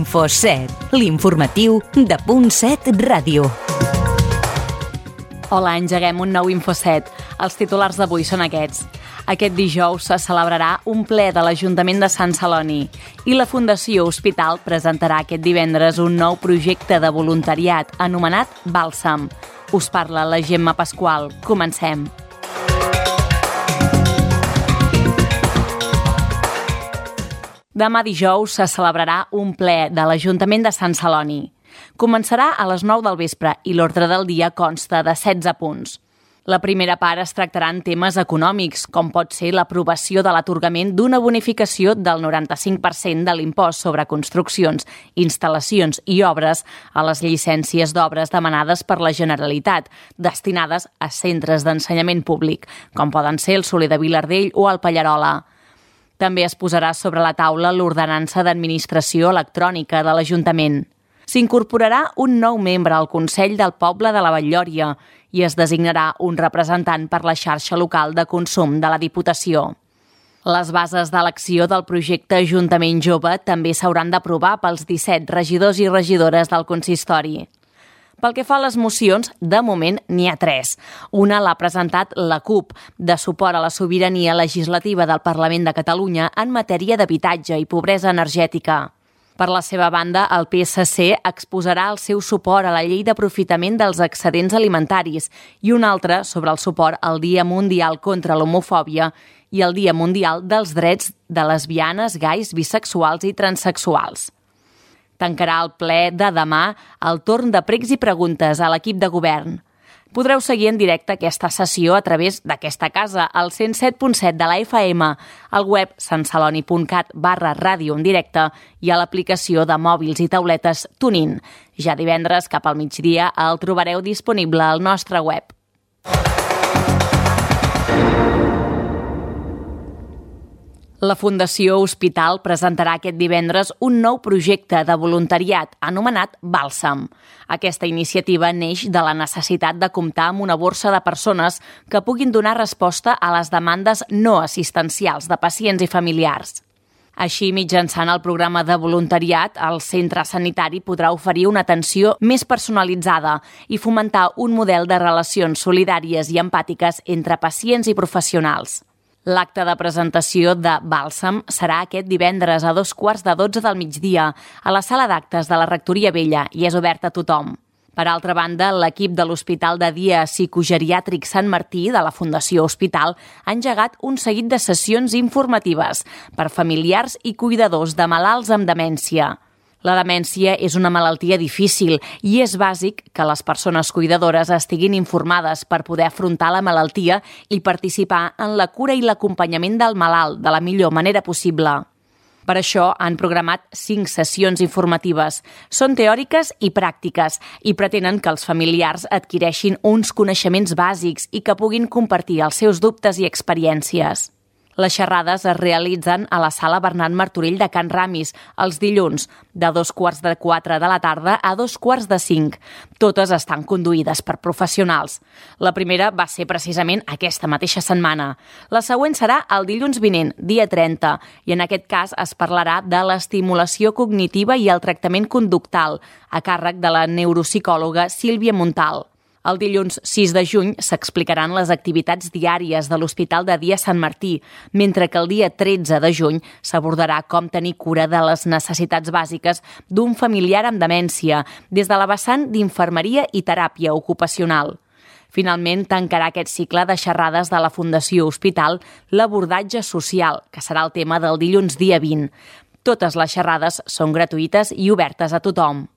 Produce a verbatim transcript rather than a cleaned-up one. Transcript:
Info set, l'informatiu de Punt set Ràdio. Hola, engeguem un nou Info set. Els titulars d'avui són aquests. Aquest dijous se celebrarà un ple de l'Ajuntament de Sant Celoni i la Fundació Hospital presentarà aquest divendres un nou projecte de voluntariat anomenat Bàlsam. Us parla la Gemma Pasqual. Comencem. Demà dijous se celebrarà un ple de l'Ajuntament de Sant Celoni. Començarà a les nou del vespre i l'ordre del dia consta de setze punts. La primera part es tractarà en temes econòmics, com pot ser l'aprovació de l'atorgament d'una bonificació del noranta-cinc per cent de l'impost sobre construccions, instal·lacions i obres a les llicències d'obres demanades per la Generalitat, destinades a centres d'ensenyament públic, com poden ser el Soler de Vilardell o el Pallarola. També es posarà sobre la taula l'ordenança d'administració electrònica de l'Ajuntament. S'incorporarà un nou membre al Consell del Poble de la Batllòria i es designarà un representant per la xarxa local de consum de la Diputació. Les bases d'elecció del projecte Ajuntament Jove també s'hauran d'aprovar pels disset regidors i regidores del consistori. Pel que fa a les mocions, de moment n'hi ha tres. Una l'ha presentat la CUP, de suport a la sobirania legislativa del Parlament de Catalunya en matèria d'habitatge i pobresa energètica. Per la seva banda, el P S C exposarà el seu suport a la llei d'aprofitament dels excedents alimentaris i un altre sobre el suport al Dia Mundial contra l'Homofòbia i el Dia Mundial dels Drets de lesbianes, gais, bisexuals i transsexuals. Tancarà el ple de demà el torn de pregs i preguntes a l'equip de govern. Podreu seguir en directe aquesta sessió a través d'aquesta casa, al cent set punt set de la F M, al web santceloni punt cat barra ràdio en directe i a l'aplicació de mòbils i tauletes TuneIn. Ja divendres, cap al migdia, el trobareu disponible al nostre web. La Fundació Hospital presentarà aquest divendres un nou projecte de voluntariat anomenat Bàlsam. Aquesta iniciativa neix de la necessitat de comptar amb una borsa de persones que puguin donar resposta a les demandes no assistencials de pacients i familiars. Així, mitjançant el programa de voluntariat, el centre sanitari podrà oferir una atenció més personalitzada i fomentar un model de relacions solidàries i empàtiques entre pacients i professionals. L'acte de presentació de Bàlsam serà aquest divendres a dos quarts de dotze del migdia a la sala d'actes de la Rectoria Vella i és obert a tothom. Per altra banda, l'equip de l'Hospital de Dia Psicogeriàtric Sant Martí de la Fundació Hospital ha engegat un seguit de sessions informatives per familiars i cuidadors de malalts amb demència. La demència és una malaltia difícil i és bàsic que les persones cuidadores estiguin informades per poder afrontar la malaltia i participar en la cura i l'acompanyament del malalt de la millor manera possible. Per això han programat cinc sessions informatives. Són teòriques i pràctiques i pretenen que els familiars adquireixin uns coneixements bàsics i que puguin compartir els seus dubtes i experiències. Les xerrades es realitzen a la sala Bernat Martorell de Can Ramis els dilluns, de dos quarts de quatre de la tarda a dos quarts de cinc. Totes estan conduïdes per professionals. La primera va ser precisament aquesta mateixa setmana. La següent serà el dilluns vinent, dia trenta, i en aquest cas es parlarà de l'estimulació cognitiva i el tractament conductal, a càrrec de la neuropsicòloga Sílvia Montal. El dilluns sis de juny s'explicaran les activitats diàries de l'Hospital de Dia Sant Martí, mentre que el dia tretze de juny s'abordarà com tenir cura de les necessitats bàsiques d'un familiar amb demència, des de la vessant d'infermeria i teràpia ocupacional. Finalment, tancarà aquest cicle de xerrades de la Fundació Hospital l'abordatge social, que serà el tema del dilluns dia vint. Totes les xerrades són gratuïtes i obertes a tothom.